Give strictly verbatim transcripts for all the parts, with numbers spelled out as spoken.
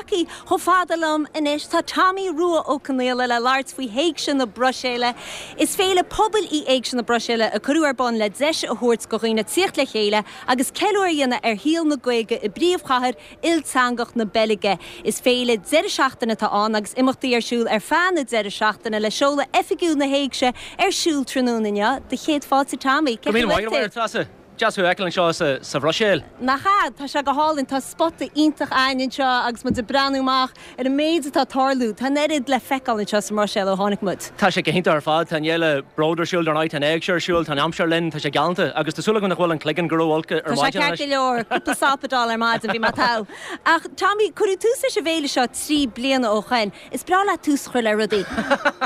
Tagtha chomh fada liom anois tá Tommy Rua Ó Conghaile le labhairt faoi Éigse na Bruiséile. Is féile pobail í Éigse na Bruiséile a cuireadh ar bun le deis a thabhairt do dhaoine tíocht le chéile agus ceiliúradh a dhéanamh ar shaol na Gaeilge i bpríomhchathair ilteangach na Beilge. Is féile deireadh seachtaine atá ann agus imeachtaí ar siúl ar feadh na deireadh seachtaine le seoladh oifigiúil na hÉigse ar siúl tráthnóna inniu do chéad fáilte Tommy. Treasa Deas thú a fheiceáil anseo sa sa Bhruiséil. Nach ea tá sé go hálainn tá spota iontach againn anseo agus muid ag breathnú amach ar an méid atá ag tarlú, Tá an oiread le feiceáil anseo sa mBruiséil ó tháinig muid. Tá sé go hiontach ar fad tá an fhéile Bród ar siúl dar ndóigh tá an Éigse ar siúl tá an aimsir linn tá sé galánta agus tá súil agam nach bhfuil an cloigeann go ró-olc ar Tá sé maidin ceart go leor cúpla sapadal ar maidin bhí má tá. Ach Tommy cuireadh tús leis an bhféile seo trí bliana ó shin. Is breá leat tús a chur le rudaí.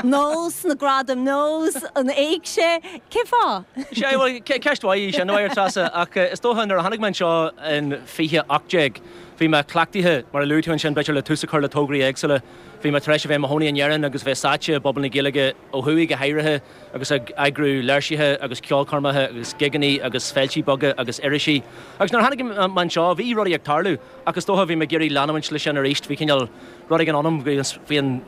Nós na gradaim nós an Éigse cén fáth? Sé ceist mhaith sin a Treasa ach is dócha nuair a tháinig mé anseo in fiche ocht déag. Bhí mé cleachtaithe mar a luaigh tú ansin b'fhéidir le tús a chur le tograí éagsúla. Bhí mé tar éis a bheith i mo chónaí in Éirinn agus bheith sáite i bpobal na Gaeilge ó thuaidh go háirithe agus ag eagrú léirsithe agus ceolchoirmeacha agus gigeanna agus féilte beaga agus irisí. Agus nuair a tháinig mé anseo bhí rudaí ag tarlú ach is dócha bhí mé ag iarraidh leanúint leis sin arís, bhí cineál rud éigin ionam bhí an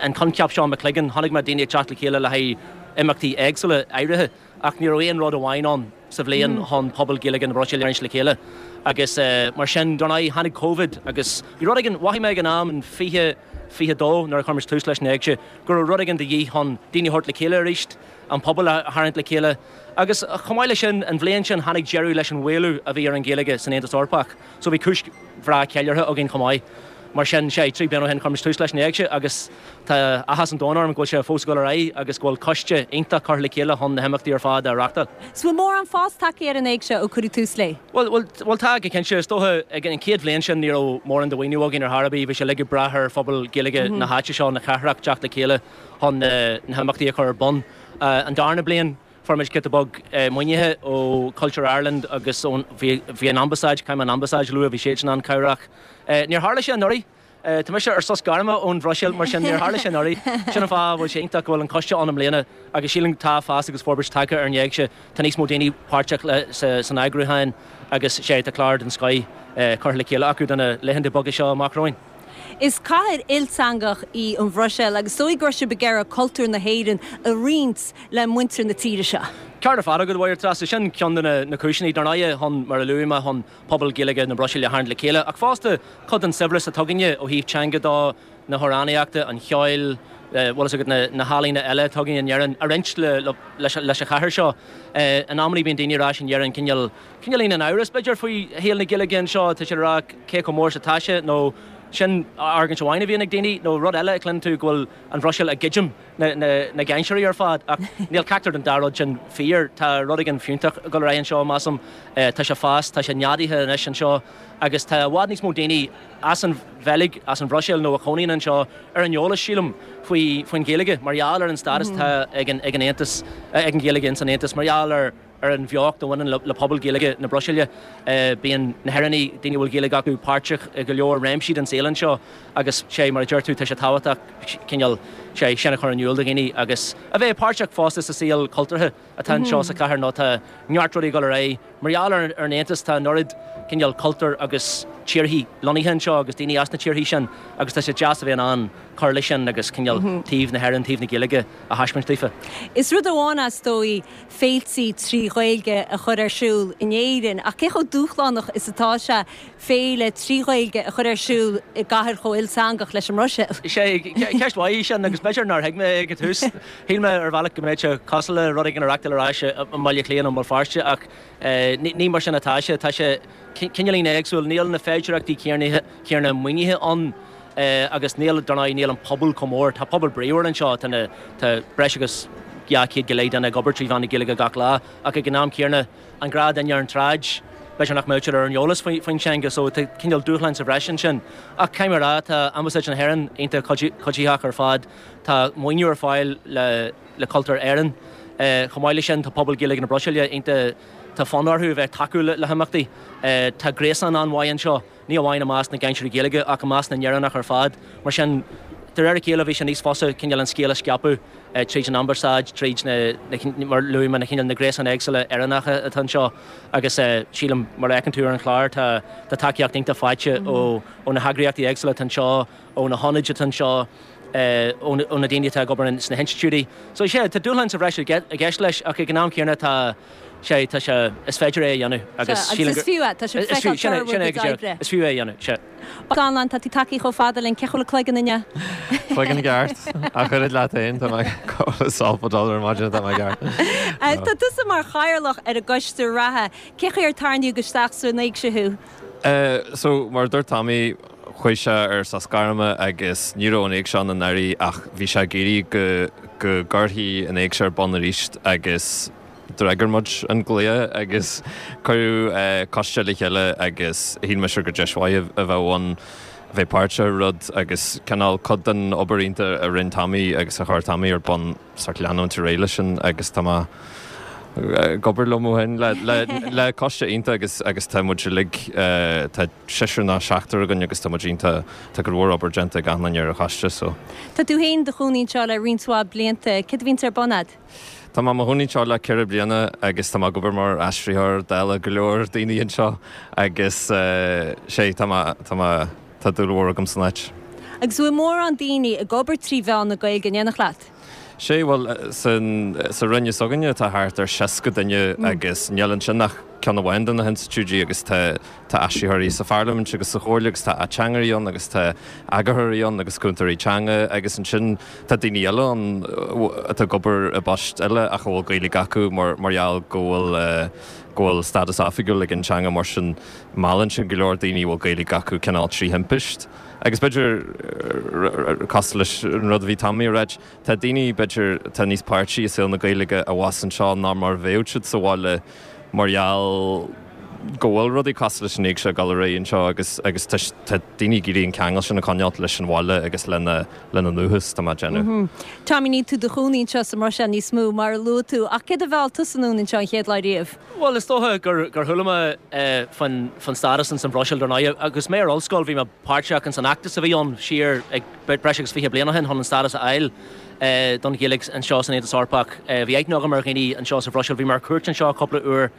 an coincheap seo i mo chloigeann, chonaic mé daoine ag teacht le chéile le haghaidh imeachtaí éagsúla áirithe ach ní raibh aon rud amháin ann sa bhliain chun pobal Gaeilge na Bruiséile le chéile. agus uh, mar sin dar ndóigh tháinig COVID agus bhí rud éigin mhothaigh mé ag an am in fiche fiche dó nuair a chuir muid tús leis an Éigse go raibh rud éigin de dhíth chun daoine a thabhairt le chéile arís, an pobal a tharraingt le chéile. Agus chomh maith leis sin an bhliain sin tháinig deireadh leis an mhaolú a bhí ar an Ghaeilge san Aontas Eorpach, so bhí cúis bhreá ceiliúrtha againn chomh maith. Mar sin sé trí bliana ó shin chuir muid tús leis an Éigse agus tá áthas an domhain orm go bhfuil sé fós ag dul ar aghaidh agus go bhfuil coiste iontach curtha le chéile chun na himeachtaí ar fad a reáchtáil. So bhfuil mórán fás tagtha ar an Éigse ó cuireadh tús léi? Well well well tá go cinnte is dócha ag an chéad bhliain sin ní raibh mórán de mhaoiniú againn ar chor ar bith, bhí sé uilig ag brath ar phobal Gaeilge na háite seo na cathrach teacht le chéile chun na himeachtaí a chur ar bun. Uh, an darna bliain fuair muid giota beag maoinithe ó Culture Ireland agus bhí an ambasáid caiim an ambasáid lu bhí sé an cabhrach. Níor tharla sé anuraidh, Tá mise ar sos gairme ón Bhruiséil mar sin níor tharla sé anuraidh sin an fáth bhfuil sé iontach go bhfuil an coiste ann i mbliana agus sílim tá fás agus forbairt tagtha ar an Éigse tá níos mó daoine páirteach san eagrúchán agus sé tá clár den scoth curtha le chéile acu do na laethanta beaga seo amach romhainn. Is cathair ilteangach í an Bhruiséil agus dóigh gur sibh ag iarraidh cultúr na hÉireann a roinnt le muintir na tíre seo. Ceart ar fad agat a Treasa sin ceann de na cúiseanna dar ndóigh chun mar a luaigh mé chun pobal Gaeilge na Bruiséile a tharraingt le chéile ach fosta cuid den saibhreas atá againne ó thaobh teanga de na hamhránaíochta an cheoil bhfuil agat na, na healaíona eile atá againn in Éirinn a roinnt le, leis, leis an chathair seo. In amanna bíonn daoine ar ais in Éirinn cineál cineál in amhras b'fhéidir faoi shaol na Gaeilge anseo tá sé rá cé chomh mór is atá sé nó sin argóint amháin a bhíonn ag daoine nó rud eile a chluineann tú go bhfuil an Bhruiséil ag goid na, na, na cainteoirí ar fad ach níl ceachtar den dá rud sin fíor tá rud éigin fiúntach ag dul ar aghaidh anseo measaim tá sé fás tá sé neadaithe anois anseo agus tá i bhfad níos mó daoine as an Bheilg as an Bhruiséil nó a chónaíonn anseo ar an eolas sílim faoi faoin Ghaeilge mar gheall ar an stádas atá ag an ag an Aontas ag an Ghaeilge in san Aontas mar gheall ar ar an bheocht a bhaineann le, le pobal Gaeilge na Bruiséile. Uh, bíonn na hÉireannaigh daoine bhfuil Gaeilge acu páirteach i go leor réimsí den saol anseo agus sé mar a deir tú tá sé tábhachtach cineál sé sin a chur in iúl do dhaoine agus a bheith páirteach fosta sa saol cultúrtha atá anseo sa chathair nó tá neart rudaí ag dul ar aghaidh. Mar gheall ar, ar an Aontas tá an oiread cineál cultúr agus tíortha lonnaithe anseo agus daoine as na tíortha sin agus tá sé deas a bheith an cur leis sin agus cineál taobh na hÉireann taobh na Gaeilge a thaispeáint daofa. Is rud amháin is dóigh féilte trí Ghaeilge a chur ar siúl in Éirinn ach cé chomh dúshlánach is atá sé féile trí Ghaeilge a chur ar siúl i gcathair chomh ilteangach leis an mBruiséil. Sé ceist mhaith sin agus b'fhéidir nár thuig mé ag an tús. Shíl mé ar bhealach go mbeadh sé cosúil le rud éigin a reáchtáil ar ais i mBaile Átha Cliath nó i mBéal Feirste ach ní mar sin atá sé tá sé cineáilín éagsúil níl na féidearthachtaí céanna maoinithe ann agus níl dar ndóigh níl an pobal chomh mór Tá pobal bríomhar anseo tá tá breis agus dhá chéad go leith duine ag obair trí mheán na Gaeilge gach lá ach ag an am céanna an gnáthdhuine ar an tsráid b'fhéidir nach mbeadh ar an eolas faoin teanga so tá cineál dúshlán sa bhreis ansin. Ach caithfidh mé a rá tá Ambasáid na hÉireann iontach cuiditheach ar fad tá maoiniú ar fáil le le Cultúr Éireann. Chomh maith leis sin tá pobal Gaeilge na Bruiséile iontach tá fonn orthu a bheith tacúil le, le himeachtaí. Tá gréasán an-mhaith anseo, ní amháin i measc na gcainteoirí Gaeilge ach i measc na nÉireannach ar fad, mar sin De réir a chéile bhí sé níos fusa cineál an scéal a scaipeadh tríd an ambasáid, tríd na, mar luaigh mé, na cineál na gréasáin éagsúla Éireannacha atá anseo agus sílim mar a fheiceann tú ar an chlár tá tá tacaíocht iontach faighte ó ó na heagraíochtaí éagsúla atá anseo, ó na hionaid atá anseo, ó na daoine atá ag obair sna hinstitiúidí. So sea, tá dúshlán sa bhreis i gceist leis ach ag an am céanna tá sé, tá sé, is féidir é a dhéanamh agus sílim gur. Is fiú é, tá sé ag feiceáil toradh bhur gcuid oibre. Is fiú é a dhéanamh, sea. Donnlán, tá tú tagtha chomh fada linn, cé chuile cloigeann inniu? Cloigeann i gceart, ach oiread leat féin, tá mé sásta dul ar maidin, tá mé ceart. Tá tusa mar chathaoirleach ar an gcoiste reatha, cé chaoi ar tarraingíodh isteach san éigse thú? So, mar a dúirt Tommy, chuaigh sé ar sos gairme agus ní raibh an éigse ann anuraidh ach bhí sé ag iarraidh go go gcuirfí an éigse ar bun arís agus d'fhreagair muid an glao agus cuireadh coiste le chéile agus shíl mise gur deis mhaith a bheadh ann bheith páirteach i rud agus cineál cuid den obair iontach a rinne Tommy agus a chuir Tommy ar bun sort leanúint ar aghaidh leis sin agus tá mé ag obair liom ó shin le coiste iontach agus agus tá muid uilig, tá seisear nó seachtar againn agus tá muid iontach, tá go leor obair déanta ag achan duine ar an choiste so. Tá tú féin i do chónaí anseo le roinnt mhaith blianta, céard a bhíonns ar bun a'd? Tá mé i mo chónaí anseo le ceithre bliana agus tá mé ag obair mar aistritheoir dála go leor daoine anseo agus sé tá mé, tá mé, tá dúil mhór agam san áit. Agus bhfuil mórán daoine ag obair trí mheán na Gaeilge in éineacht leat? Sé, bhuel, san, sa Roinn s'againne tá thart ar seasca duine agus níl ansin ach ceann amháin de na hinstitiúidí agus tá, tá aistritheoirí sa Pharlaimint agus sa Chomhairle agus tá ateangairí ann agus tá eagarthóirí ann agus cúntóirí teanga agus ansin tá daoine eile ann atá ag obair i bpoist eile ach a bhfuil Gaeilge acu mar, mar gheall go bhfuil, go bhfuil stádas oifigiúil ag an teanga mar sin meallann sin go leor daoine a bhfuil Gaeilge acu cineál trí thimpist. Agus b'fhéidir, cosúil leis an rud a bhí Tommy a ráit, tá daoine, b'fhéidir, atá níos páirtí i saol na Gaeilge abhus anseo ná mar a bheadh siad sa bhaile mar gheall go bhfuil rudaí cosúil leis an Éigse ag dul ar aghaidh anseo agus agus tá tá daoine ag iarraidh an ceangal sin a choinneáilt leis an bhaile agus lena lena ndúchas, tá mé ag déanamh. Tommy, níl tú i do chónaí anseo sa mBruiséil níos mó, mar a luaigh tú, ach céard a mheall tusa anonn anseo an chéad lá riamh? Bhuel, is dócha gur gur chuala mé faoin faoin stádas ins an Bhruiséil dar ndóigh. Agus mé ar ollscoil bhí mé páirteach ins an fheachtas a bhí ann siar ag breis agus fiche bliain ó shin chun an stádas a fháil don Ghaeilge anseo san Aontas Eorpach. Bhí aithne agam ar dhaoine anseo sa Bhruiséil, bhí mé ar cuairt anseo cúpla uair.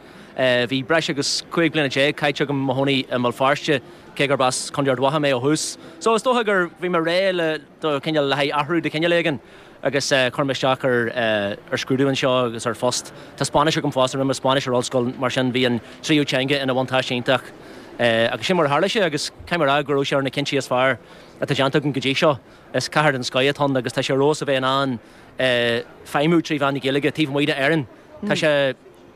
Bhí breis agus cúig bliana déag caite agam i mo chónaí i mBéal Feirste, cé gurb as Contae Ard Mhacha mé ó thús. So is dócha gur bhí mé réidh le do chineál le haghaidh athrú de chineál éigin agus chuir mé isteach ar ar scrúdú anseo agus ar phost. Tá Spáinnis agam fosta, rinne mé Spáinnis ar ollscoil mar sin bhí an tríú teanga ina bhuntáiste iontach agus sin mar a tharla sé agus caithfidh mé a rá go raibh sé ar na cinntí is fearr atá déanta agam go dtí seo. Is cathair den scoith atá ann agus tá sé ar fheabhas a bheith in ann feidhmiú trí mheán na Gaeilge taobh amuigh d'Éirinn. Tá sé.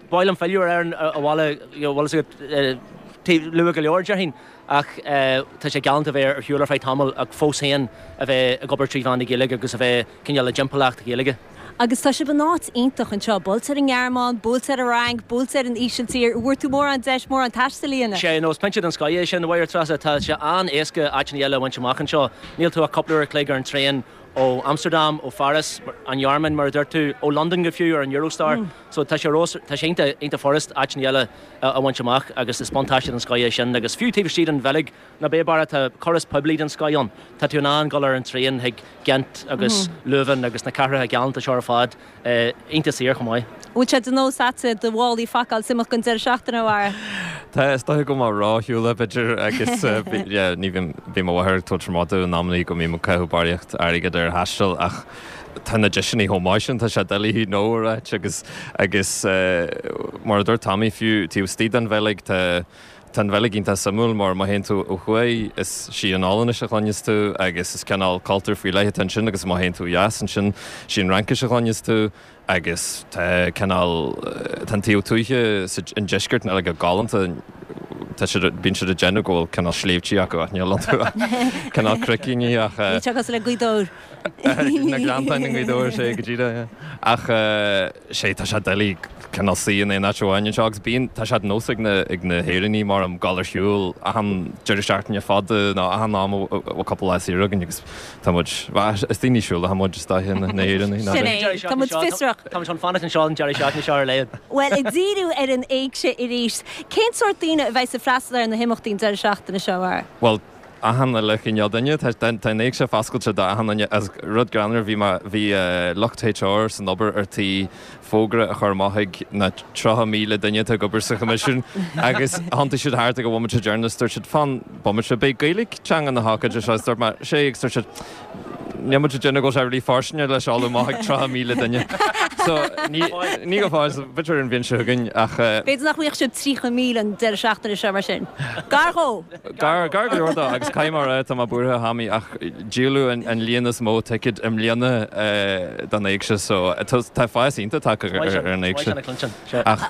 Ba mhaith liom filleadh ar Éirinn abhaile, bhfuil fhios agat, luath go leor, déarfainn, ach tá sé galánta a bheith ar shiúl ar feadh tamaill ach fós féin a bheith ag obair trí mheán na Gaeilge agus a bheith cineál i dtimpeallacht Ghaeilge. Agus tá sibh in áit iontach anseo, buailte ar an nGearmáin, buailte ar an Fhrainc, buailte ar an Ísiltír, an bhfuair tú mórán deis mórán taistil a dhéanamh? Sea, no, is pointe den scoith é sin, a Mháire Treasa, tá sé an-éasca áiteanna eile a bhaint amach anseo. Níl tú ach cúpla uair a chloig ar an traein ó Amsterdam, ó Pháras, an Ghearmáin mar a dúirt tú, ó Londain go fiú ar an Eurostar. So tá sé rós, tá sé iontach, iontach furast áiteanna eile a bhaint amach agus is buntáiste den scoith é sin. Agus fiú taobh istigh den Bheilg, ná bí buartha, tá córas poiblí den scoith ann. Tá tú in ann dul ar an traein chuig Ghent agus Leuven agus na cathracha galánta seo ar fad, iontach saor chomh maith. Bhfuil sé de nós a'dsa do mhálaí a phacáil is imeacht don deireadh seachtaine, a Bharra? Tá, is dóiche go bhfuil mé róshiúlach b'fhéidir agus yeah ní bhím, bíonn mo mháthair ag tabhairt ar maide in amannaí go mbím ag caitheamh barraíocht airgid ar thaisteal ach tá na deiseanna chomh maith sin, tá sé doiligh no a ráit agus agus mar a dúirt Tommy fiú taobh istigh den Bheilg tá tá an Bheilg iontach suimiúil mar má théann tú ó thuaidh is sí an Ollainnis a chluineas tú agus is cineál cultúr faoi leith atá ansin agus má théann tú ó dheas ansin sí an Fhraincis a chluineas tú agus tá cineál, tá an taobh tuaithe sa, i ndeisceart na Beilge galánta, tá siad, bíonn siad ag déanamh go bhfuil cineál sléibhtí acu ach níl iontu ach cineál cnoicíní ach. Níl sé cosúil le Gaoth Dobhair. Na gleanntáin i nGaoth Dobhair, sé go díreach, yeah. Ach sé, tá sé doiligh cineál suí in aon áit amháin anseo agus bíonn, tá sé de nós ag na, ag na hÉireannaigh mar am dul ar shiúl achan deireadh seachtaine fada nó achan am a bhfuil cúpla lá saor againn agus Tá muid, bhuel, is daoine siúlacha muid is dóiche, na hÉireannaigh, Sin é, tá muid fiosrach. Tá muid chun fanacht anseo an deireadh seachtaine seo ar a laghad. Bhuel, ag díriú ar an éigse arís, cén sórt daoine a bheidh ag freastal ar na himeachtaí an deireadh seachtaine seo, a Bharra? Bhuel, achan uile chineál duine, tá an éigse foscailte do achan duine agus rud greannmhar bhí mé, bhí lucht HR san obair ar tí fógra a chur amach chuig na tríocha míle duine atá ag obair sa Choimisiún agus thiontaigh siad thart ag an bhomaite deireanach is dúirt siad fan bomaite, beidh Gaeilge teanga na hócáide seo agus dúirt mé sé agus dúirt siad níl muid ag déanamh go bhfuil sé really fóirsteanach le seoladh amach chuig tríocha míle duine. So ní ní go fóill, so b'fhéidir an bhliain seo chugainn ach. B'fhéidir nach bhfaighidh sibh tríocha míle an deireadh seachtaine seo mar sin. Gar dhó! Gar, gar go leor dó agus caithfidh mé a rá, tá mé buartha a Thomaí ach díoladh an líon is mó ticéad i mbliana don éigse so tá fás iontach tagtha ar an éigse. Ach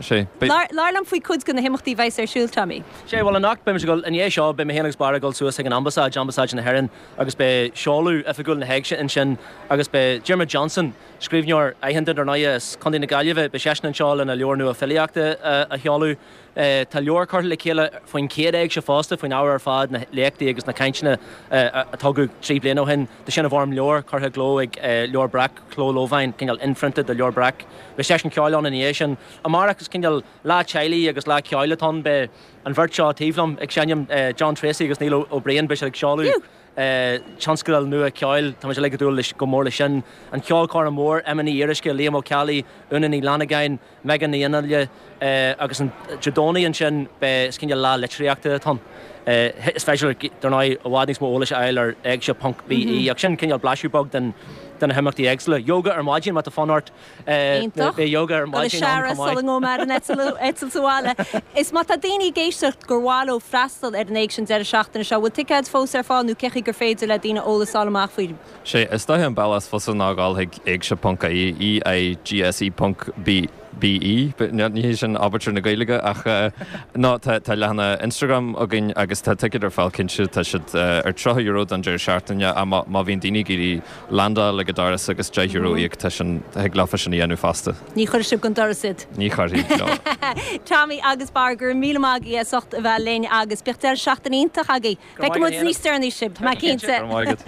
sé, beidh. Labhair liom faoi cuid de na himeachtaí a bheas ar siúl, Tommy. Sé, bhuel anocht beidh muid ag dul, i ndiaidh seo beidh mé féin agus Barra ag dul suas chuig an Ambasáid, Ambasáid na hÉireann agus beidh seoladh oifigiúil na hÉigse ansin agus beidh Diarmuid Johnson, scríbhneoir aitheanta dar ndóigh as Contae na Gaillimhe, beidh seisean anseo lena leabhar nua filíochta a sheoladh. Tá leabhar curtha le chéile faoin chéad Éigse fosta, faoin ábhar ar fad, na léachtaí agus na cainteanna a tugadh trí bliana ó shin. Tá sin i bhfoirm leabhair curtha i gcló ag Leabhar Breac, Cló Lobháin, cineál inphrionta de Leabhar Breac. Beidh seisiún ceoil ann ina dhiaidh sin. Amárach is cineál lá teaghlaigh agus lá ceoil atá ann. Beidh an bheirt seo taobh liom ag seinm, John Treacy agus Neil Ó Briain, beidh siad ag seoladh tionscadal nua ceoil. Tá muid uilig ag dúil go mór leis sin. An cheolchoirm mhór, Emma Ní Fhíoruisce, Liam Ó Ceallaigh, Úna Ní Fhlannagáin, Megan Ní Fhionnghaile agus an Dé Domhnaigh ansin beidh, is cineál lá litríochta atá ann. Is féidir, dar ndóigh, i bhfad níos mó eolais a fháil ar éigse ponc BE ach sin cineál blaiseadh beag den de na himeachtaí éagsúla. Yoga ar maidin má tá fonn ort. Iontach. Beidh yoga ar Dul ag maidin ann searradh chomh maith. sula ngabhfaidh mé ar an eitilt abhaile. Is má tá daoine ag éisteacht gur mhaith leo freastal ar an éigse an deireadh seachtaine seo, bhfuil ticéid fós ar fáil nó cén chaoi gur féidir le daoine eolas a fháil amach faoi? Sé, is dóiche an bealach is fusa ná dhul chuig éigse ponc ie, E I G S E ponc B BE, ní hé sin abairtear na Gaeilge ach ná tá tá leathanach Instagram againn agus tá ticéid ar fáil cinnte, tá siad ar tríocha euro don deireadh seachtaine ach má má bhíonn daoine ag iarraidh landáil ag an doras agus deich euro a íoc tá sin thig leofa sin a dhéanamh fosta. Ní chuirfidh sibh den doras iad. Ní chuirfidh, no. Tommy agus Barra, go raibh míle maith agaibh as ucht a bheith linn agus bíodh deireadh seachtaine iontach agaibh. Feicfidh muid níos deireanaí sibh, tá mé cinnte. Go raibh maith agat.